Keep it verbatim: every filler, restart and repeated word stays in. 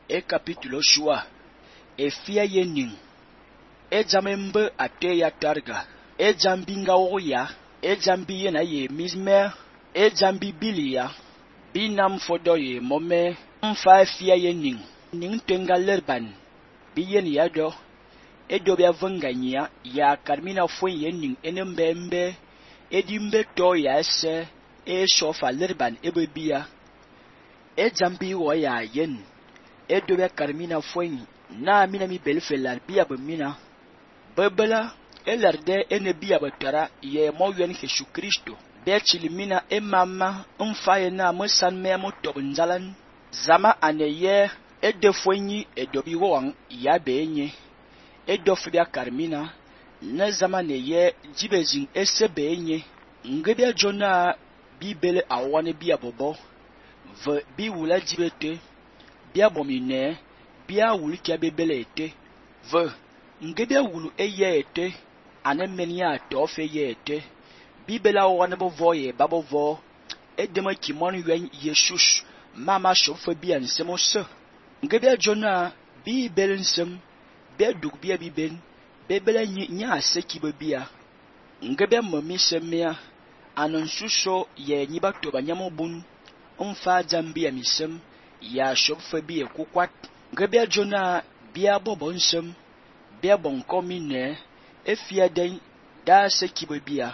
e capítulo shua e fia yening e jamembe ate ya targa e jambi ngawoya e jambi yena ye mismer e jambi bilia binam fodo ye mome mfa fia yening ning tenga lerban bi yen ya do e do bia venganya ya karmina fo yening enembembe e dimbe to ya se e shofa lerban e bebia e jambi wo ya yen e do bia karmina fo na mina mi belfelar bia bemina bebela e lerde ene bia betara ye mo yen Jesu Kristo be chilimina e mama mfa ye na mo san me mo to nzalan zama aneye e defonyi e dobi won ya benye e dofibia karmina na zama neye jibezin e sebenye ngebia jona bibele awane bia bobo ve bi wula jibete bia bomine bia wuli kia bebele ete ve ngebia wulu eye ete anemenia tofe ye ete bibela wane bovo ye babovo edema kimon yen Jesus mama shofe bia nsemo se ngebia jona bibele nsem be duk bia biben bebele nyi nya seki bebia ngebia mami semia anon suso ye nyiba to banyamo bun umfa jambia misem ya shofe bia kukwat ngebia jona bia bobo nsem bia bonko mine efia den da seki bebia